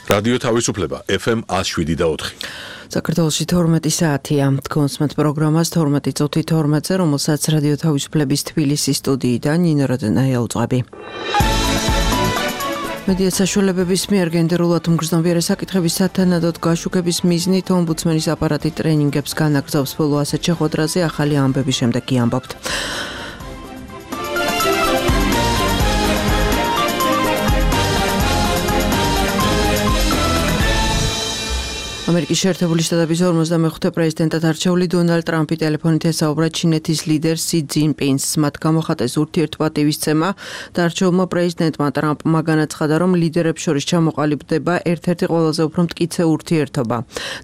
რადიო თავისუფლება FM 107.4. საქართველოში 12 საათია. თქვენს პროგრამას 12 წუთი 12-ზე, რომელსაც რადიო თავისუფლების თბილისის სტუდიიდან ნინო როდენაია უძღვები. მედია საშუალებების მიერ გენდერულად მგრძნობიარე საკითხების სათანადოდ გაშუქების მიზნით ომბუდსმენის აპარატი ტრენინგებს განაგრძობს. ბოლო ასეთ შეხვედრაზე ახალი ამბების შემდეგ კი ამბობთ. ამერიკის შეერთებული შტატების 45 პრეზიდენტად არჩეული დონალდ ტრამპი ტელეფონით ესაუბრა ჩინეთის ლიდერ სი ძინპინს. მათ გამოხატეს ურთიერთპატივისცემა და არჩეულმა პრეზიდენტმა ტრამპმა განაცხადა, რომ ლიდერებს შორის ჩამოყალიბდება ერთ-ერთი ყველაზე უფრო მტკიცე ურთიერთობა.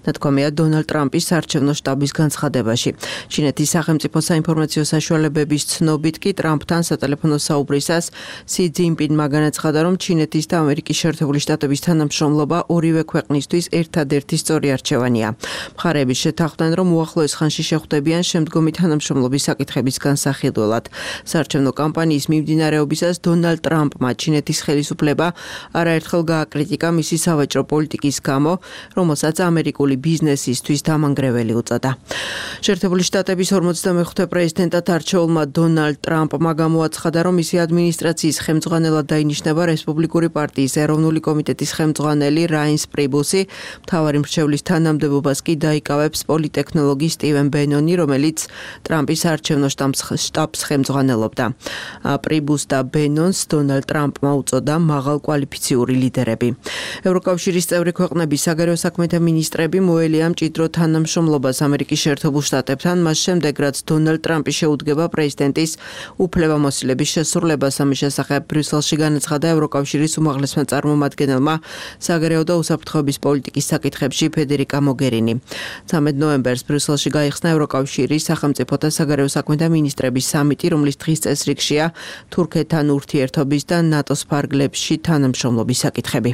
ნათქვამია დონალდ ტრამპის საარჩევნო შტაბის განცხადებაში. ჩინეთის სახელმწიფო საინფორმაციო საშუალებების ცნობით კი ტრამპთან სატელეფონო საუბრისას სი ძინპინმა განაცხადა, რომ ჩინეთის და ამერიკის შეერთებული შტატების თანამშრომლობა ორივე ქვეყნისთვის ერთადერთი არჩევანია. მხარეები შეთანხმდნენ, რომ უახლოეს ხანში შეხვდებიან შემდგომი თანამშრომლობის საკითხების განსახილველად. საარჩევნო კამპანიის მიმდინარეობისას დონალდ ტრამპმა ჩინეთის ხელისუფლება არაერთხელ გააკრიტიკა მისი სავაჭრო პოლიტიკის გამო, რომელსაც ამერიკული ბიზნესისთვის დამანგრეველი უწოდა. შეერთებული შტატების 45 პრეზიდენტად არჩეულმა დონალდ ტრამპმა გამოაცხადა, რომ მისი ადმინისტრაციის ხელმძღვანელად დაინიშნება რესპუბლიკური პარტიის ეროვნული კომიტეტის ხელმძღვანელი რაინს პრიბუსი, მთავარი მრჩევლის თანამდებობას კი დაიკავებს პოლიტექნოლოგი სტივენ ბენონი, რომელიც ტრამპის საარჩევნო შტაბს ხელმძღვანელობდა. პრიბუს და ბენონს დონალდ ტრამპმა უწოდა მაღალკვალიფიციური ლიდერები. ევროკავშირის წევრი ქვეყნების საგარეო საქმეთა მინისტრები მოელია მჭიდრო თანამშრომლობას ამერიკის შეერთებულ შტატებთან, მას შემდეგ, რაც დონალდ ტრამპი შეუდგება პრეზიდენტის უფლებამოსილების შესრულებას. ამის შესახებ ბრიუსელში განაცხადა ევროკავშირის უმაღლესმა წარმომადგენელმა საგარეო და უსაფრთხოების პოლიტიკის საკითხებში ფედერიკა მოგერინი. 13 ნოემბერს ბრიუსელში გაიხსნა ევროკავშირის სახელმწიფოთა საგარეო საქმეთა მინისტრების სამიტი, რომლის დღის წესრიგშია თურქეთთან ურთიერთობის და ნატოს ფარგლებში თანამშრომლობის საკითხები.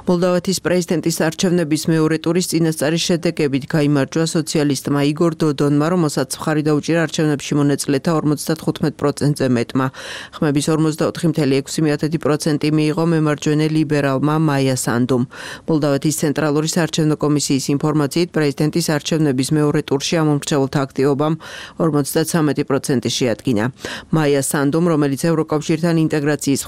მოლდოვეთის პრეზიდენტის არჩევნების მეორე ტურის წინასწარი შედეგებით გაიმარჯვა სოციალისტმა იგორ დოდონმა, რომელსაც მხარი დაუჭირა არჩევნებში მონაწილეთა 55%-ზე მეტმა. ხმების 44.6% მიიღო მემარჯვენე ლიბერალმა მაია სანდუმ. მოლდოვეთის ცენტრალური საარჩევნო კომისიის ინფორმაციით პრეზიდენტის არჩევნების მეორე ტურში ამომრჩეველთა აქტივობამ 53% შეადგინა. მაია სანდუმ, რომელიც ევროკავშირთან ინტეგრაციის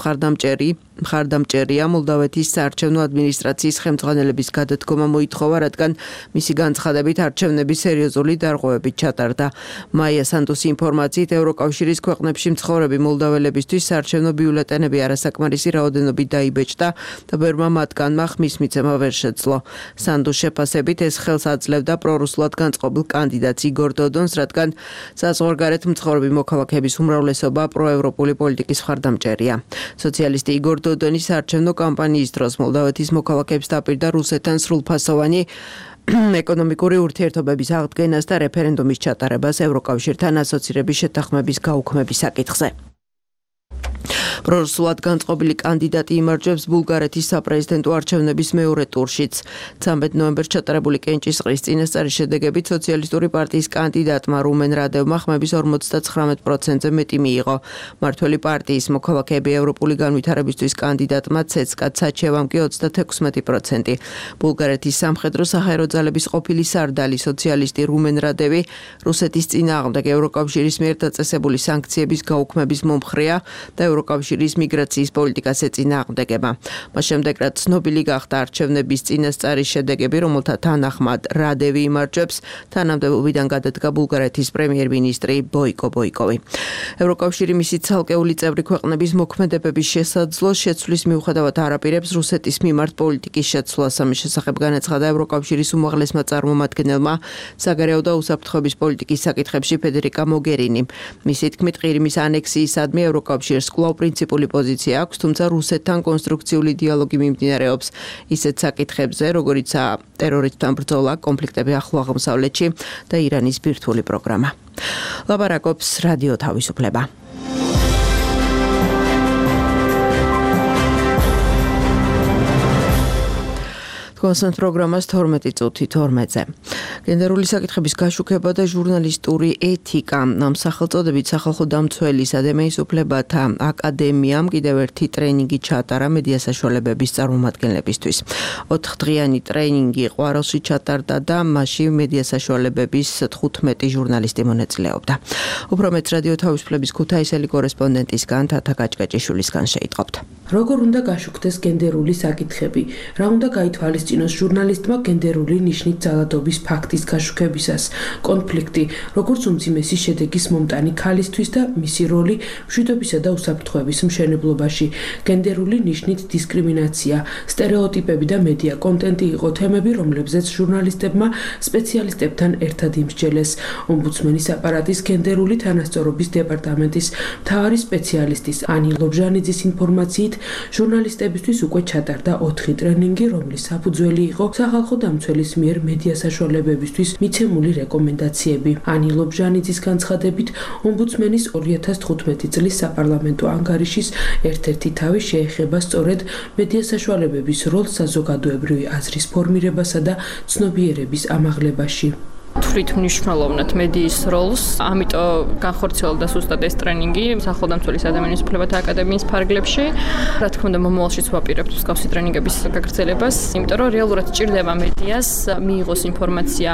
მხარდამჭერია, მოლდოვეთის საარჩევნო ადმინისტრაციის ხელმძღვანელების გადადგომა მოითხოვა, რადგან მისი განცხადებით არჩევნები სერიოზული დარღვევებით ჩატარდა. მაია სანდუმის ინფორმაციით ევროკავშირის ქვეყნებში მცხოვრები მოლდოველებისთვის საარჩევნო ბიულეტენები არასაკმარისი რაოდენობით დაიბეჭდა და ბევრმა მათგანმა ხმის მიცემა ვერ შეძლო. სანდუს შეფასებით ეს ხელს აძლევდა პრორუსულად განწყობილ კანდიდატს იგორ დოდონს, რადგან საზღვარგარეთ მცხოვრები მოქალაქეების უმრავლესობა პროევროპული პოლიტიკის მხარდამჭერია. სოციალისტი იგორ დოდონი საარჩევნო კამპანიის დროს მოლდოვეთის მოქალაქეებს დაპირდა რუსეთთან სრულფასოვანი ეკონომიკური ურთიერთობების აღდგენას და რეფერენდუმის ჩატარებას ევროკავშირთან ასოცირების შეთანხმების გაუქმების საკითხზე. პრორუსულად განწყობილი კანდიდატი იმარჯვებს ბულგარეთის საპრეზიდენტო არჩევნების მეორე ტურშიც. 13 ნოემბერს ჩატარებული კენჭისყრის წინასწარი შედეგებით სოციალისტური პარტიის კანდიდატმა რუმენ რადევმა ხმების 59%-ზე მეტი მიიღო. მართველი პარტიის მოქალაქეები ევროპული განვითარებისთვის კანდიდატმა ცეცკა ცაჩევამ კი 36%. ბულგარეთის სამხედრო საჰაერო ძალების ყოფილი სარდალი სოციალისტი რუმენ რადევი რუსეთის წინააღმდეგ ევროკავშირის მიერ დაწესებული სანქციების გაუქმების მომხრეა და ევროკავშირის მიგრაციის პოლიტიკას ეწინააღმდეგება. მას შემდეგ, რაც ცნობილი გახდა არჩევნების წინასწარი შედეგები, რომელთა თანახმად რადევი იმარჯვებს, თანამდებობიდან გადადგა ბულგარეთის პრემიერ-მინისტრი ბოიკო ბოიკოვი. ევროკავშირი მისი ცალკეული წევრი ქვეყნების მოქმედებების შესაძლო შეცვლის მიუხედავად არ აპირებს რუსეთის მიმართ პოლიტიკის შეცვლას. ამის შესახებ განაცხადა ევროკავშირის უმაღლესმა წარმომადგენელმა საგარეო და უსაფრთხოების პოლიტიკის საკითხებში ფედერიკა მოგერინი. მისი თქმით, ყირიმის ანექსიისადმი ევროკავშირს კვლავ პრინციპული პოზიცია აქვს, თუმცა რუსეთთან კონსტრუქციული დიალოგი მიმდინარეობს ისეთ საკითხებზე, როგორიცაა ტერორისტთან ბრძოლა, კონფლიქტები ახლო აღმოსავლეთში და ირანის ბირთვული პროგრამა. ლაპარაკობს რადიო თავისუფლება. თქვენს პროგრამას 12 წუთი 12-ზე. გენდერული საკითხების გაშუქება და ჟურნალისტური ეთიკა. ამ სახელწოდებით სახალხო დამცველის ადამიანის უფლებათა აკადემიამ კიდევ ერთი ტრენინგი ჩატარა მედია საშუალებების წარმომადგენლებისთვის. 4დღიანი ტრენინგი ყვარელში ჩატარდა და მასში მედია საშუალებების 15 ჟურნალისტი მონაწილეობდა. უფრო მეტ რადიო თავისუფლების ქუთაისელი კორესპონდენტისგან თათა გაჭკაჭიშვილისგან შეიტყობთ. როგორ უნდა გაშუქდეს გენდერული საკითხები? რა უნდა გაითვალისწინოს ჟურნალისტმა გენდერული ნიშნით ძალადობის ფაქტის გაშუქებისას? კონფლიქტი, როგორც უმძიმესი შედეგის მომტანი ქალისთვის და მისი როლი მშვიდობისა და უსაფრთხოების მშენებლობაში. გენდერული ნიშნით დისკრიმინაცია, სტერეოტიპები და მედია კონტენტი იყო თემები, რომლებზეც ჟურნალისტებმა სპეციალისტებთან ერთად იმსჯელეს. ომბუდსმენის აპარატის გენდერული თანასწორობის დეპარტამენტის მთავარი სპეციალისტის ანი ლობჟანიძის ინფორმაციით, ჟურნალისტებისთვის უკვე ჩატარდა 4 ტრენინგი, რომლის საფუძველი იყო სახალხო დამცველის მიერ მედია საშუალებებისთვის მიცემული რეკომენდაციები. ანი ლობჟანიძის განცხადებით, ომბუდსმენის 2015 წლის საპარლამენტო ანგარიშის ერთ-ერთი თავი შეეხება სწორედ მედია საშუალებების როლს საზოგადოებრივი აზრის ფორმირებასა და ცნობიერების ამაღლებაში. თვით მნიშვნელოვნად მედიის როლს, ამიტომ განხორციელდა ზუსტად ეს ტრენინგი სახალხო დამცველის ადამიანის უფლებათა აკადემიის ფარგლებში. რა თქმა უნდა, მომავალშიც ვაპირებთ მსგავსი ტრენინგების გაგრძელებას, იმიტომ რომ რეალურად ჭირდება მედიას მიიღოს ინფორმაცია,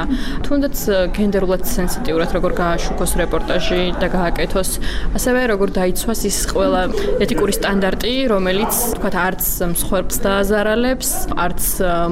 თუნდაც გენდერულად სენსიტიურად როგორ გააშუქოს რეპორტაჟი და გააკეთოს, ასევე როგორ დაიცვას ის ყველა ეთიკური სტანდარტი, რომელიც თქვათ არც მსხვერპლს დააზარალებს, არც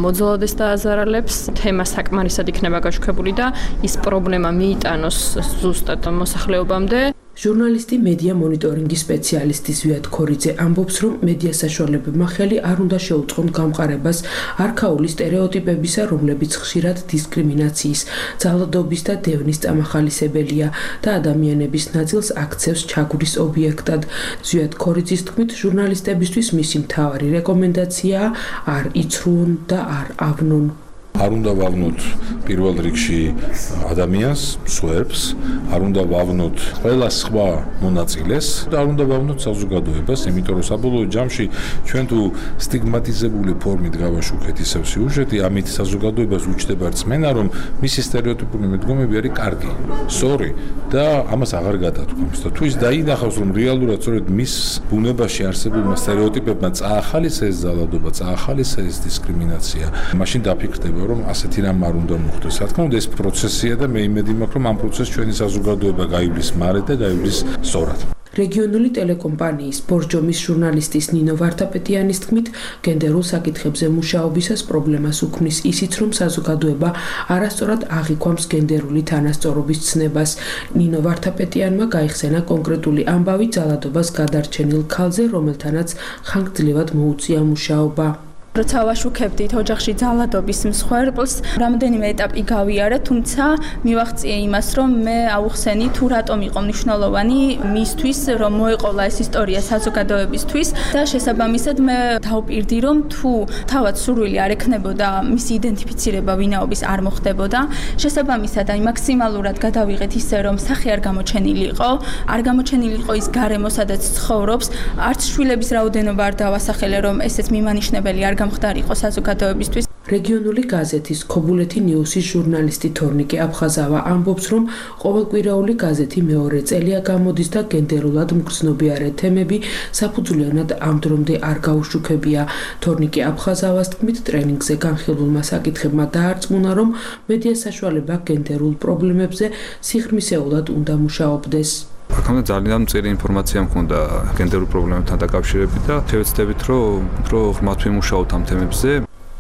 მოძალადეს დააზარალებს, თემა საკმარისად იქნება გაშუქებული და ის პრობლემა მიიტანოს ზუსტად მოსახლეობამდე. ჟურნალისტი მედია მონიტორინგის სპეციალისტი ზვიად ქორიძე ამბობს, რომ მედია საშუალებებმა ხელი არ უნდა შეუწყონ გამყარებას არქაული სტერეოტიპებისა, რომლებიც ხშირად დისკრიმინაციის, ძალადობის და დევნის წამახალისებელია და ადამიანების ნაწილს აქცევს ჩაგვრის ობიექტად. ზვიად ქორიძის თქმით, ჟურნალისტებისთვის მისი მთავარი რეკომენდაციაა არ იცრუონ და არ ავნონ. არ უნდა ვავნოთ პირველ რიგში ადამიანს, მსხვერპლს, არ უნდა ვავნოთ ყველა სხვა მონაწილეს და არ უნდა ვავნოთ საზოგადოებას, იმიტომ რომ საბოლოო ჯამში ჩვენ თუ სტიგმატიზებული ფორმით გავაშუქეთ ისევ სიუჟეტი, ამით საზოგადოებას უჩნდება რწმენა, რომ მისი სტერეოტიპული მიდგომები არის კარგი, სწორი და ამას აღარ გადათქვამს. და თუ ის დაინახავს, რომ რეალურად სწორედ მის ბუნებაში არსებულმა სტერეოტიპებმა წაახალისა ეს ძალადობა, წაახალისა ეს დისკრიმინაცია, მაშინ დაფიქრდება რომ ასეთი რამ არ უნდა მოხდეს. რა თქმა უნდა, ეს პროცესია და მე იმედი მაქვს, რომ ამ პროცესს ჩვენი საზოგადოება გაივლის მარედ და გაივლის სწორად. რეგიონული ტელეკომპანიის ბორჯომის ჟურნალისტის ნინო ვართაპეტიანის თქმით, გენდერულ საკითხებზე მუშაობისას პრობლემას უქმნის ისიც, რომ საზოგადოება არასწორად აღიქვამს გენდერული თანასწორობის ცნებას. ნინო ვართაპეტიანმა გაიხსენა კონკრეტული ამბავი ძალადობას გადარჩენილ ქალზე, რომელთანაც ხანგრძლივად მოუწია მუშაობა. როცა ვაშუქებდით ოჯახში ძალადობის მსხვერპლს, რამდენიმე ეტაპი გავიარე, თუმცა მივაღწიე იმას, რომ მე აუხსენი თუ რატომ იყო მნიშვნელოვანი მისთვის, რომ მოეყოლა ეს ისტორია საზოგადოებისთვის და შესაბამისად მე დავპირდი, რომ თუ თავად სურვილი არ ექნებოდა მისი იდენტიფიცირება ვინაობის არ მოხდებოდა, შესაბამისად აი მაქსიმალურად გადავიღეთ ისე, რომ სახე არ გამოჩენილი იყო, არ გამოჩენილი იყო ის გარემო, სადაც ცხოვრობს, არც შვილების რაოდენობა არ დავასახელე, რომ ესეც მიმანიშნებელი არ გამხდარიყო საზოგადოებისთვის. რეგიონული გაზეთის ქობულეთი ნიუსის ჟურნალისტი თორნიკე აფხაზავა ამბობს, რომ ყოველკვირაული გაზეთი მეორე წელია გამოდის და გენდერულად მგრძნობიარე თემები საფუძვლიანად ამ დრომდე არ გაუშუქებია. თორნიკე აფხაზავას თქმით, ტრენინგზე განხილულმა საკითხებმა დაარწმუნა, რომ მედია საშუალება გენდერულ პრობლემებზე სიღრმისეულად უნდა მუშაობდეს. აქამდე ძალიან მწირი ინფორმაცია მქონდა გენდერულ პრობლემებთან დაკავშირებით და შევეცდებით, რომ ღრმად ვიმუშაოთ ამ თემებზე.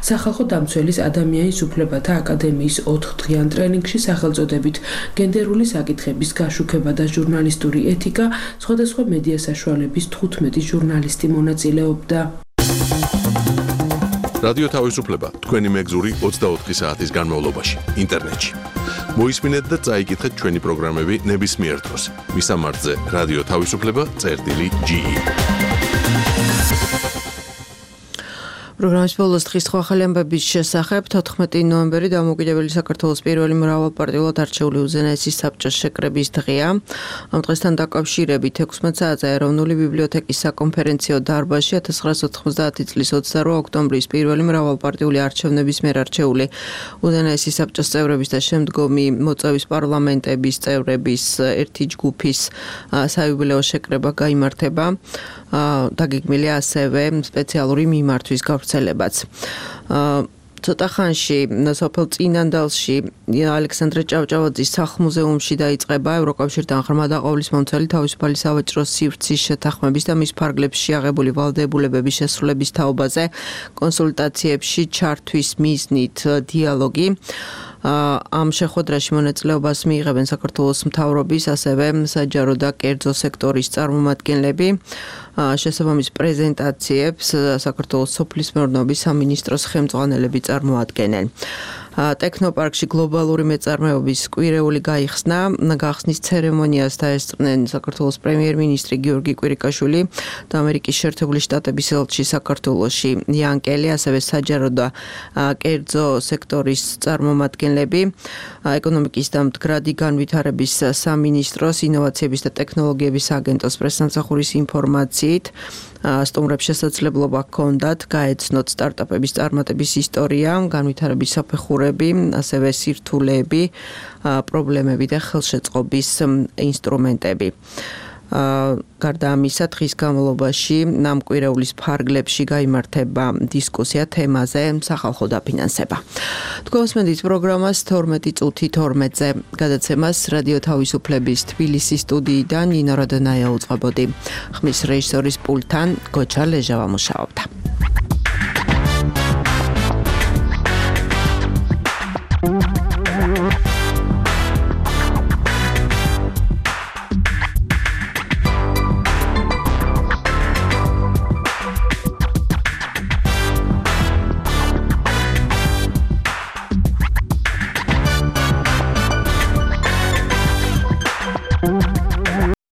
სახალხო დამცველის ადამიანის უფლებათა აკადემიის 4დღიან ტრენინგში სახელწოდებით გენდერული საკითხების გაშუქება და ჟურნალისტური ეთიკა სხვადასხვა მედია საშუალების 15 ჟურნალისტი მონაწილეობდა. რადიო თავისუფლება თქვენი მეგზური 24 საათის განმავლობაში ინტერნეტში. მოისმინეთ და წაიკითხეთ ჩვენი პროგრამები ნებისმიერ დროს. მისამართზე რადიო თავისუფლება.ge პროგრამის ბოლოს დღის ახალი ამბების შესახებ 14 ნოემბერი დამოუკიდებელი საქართველოს პირველი მრავალპარტიულად არჩეული უზენაესი საბჭოს შეკრების დღეა. ამ დღესთან დაკავშირებით 16 საათზე ეროვნული ბიბლიოთეკის საკონფერენციო დარბაზში 1990 წლის 28 ოქტომბრის პირველი მრავალპარტიული არჩევნების მიერ არჩეული უზენაესი საბჭოს წევრების და შემდგომი მოწვევის პარლამენტების წევრების ერთი ჯგუფის საიუბილეო შეკრება გაიმართება. დაგეგმილია ასევე სპეციალური მიმართვის გავრცელებაც. ცოტა ხანში სოფელ წინანდალში ალექსანდრე ჭავჭავაძის სახლ-მუზეუმში დაიწყება ევროკავშირთან ღრმა დაყოლის მომცველი თავისუფალი სავაჭრო სივრცის შეთანხმების და მის ფარგლებში აღებული ვალდებულებების შესრულების თაობაზე კონსულტაციებში ჩართვის მიზნით დიალოგი. ამ შეხვედრაში მონაწილეობას მიიღებენ საქართველოს მთავრობის, ასევე საჯარო და კერძო სექტორის წარმომადგენლები. შესაბამის პრეზენტაციებს საქართველოს სოფლის მეურნეობის სამინისტროს ხელმძღვანელები წარმოადგენენ. ტექნოპარკში გლობალური მეწარმეობის კვირეული გაიხსნა. გახსნის ცერემონიას დაესწრნენ საქართველოს პრემიერ-მინისტრი გიორგი კვირიკაშვილი და ამერიკის შეერთებული შტატების ელჩი საქართველოში იან კელი, ასევე საჯარო და კერძო სექტორის წარმომადგენლები. ეკონომიკის და მდგრადი განვითარების სამინისტროს ინოვაციების და ტექნოლოგიების აგენტოს პრესსამსახურის ინფორმაციით სტუმრებს შესაძლებლობა ჰქონდათ გაეცნოთ სტარტაპების წარმატების ისტორია, განვითარების საფეხურები, ასევე სირთულეები, პრობლემები და ხელშეწყობის ინსტრუმენტები. გარდა ამისა, დღის განმავლობაში ამ კვირეულის ფარგლებში გაიმართება დისკუსია თემაზე სახალხო დაფინანსება. თქვენსმენთ პროგრამას 12 წუთი 12-ზე გადაცემას რადიო თავისუფლების თბილისის სტუდიიდან ნინო რადონაია უწყებოდი. ხმის რეჟისორის პულტთან გოჩა ლეჟავა მუშაობდა.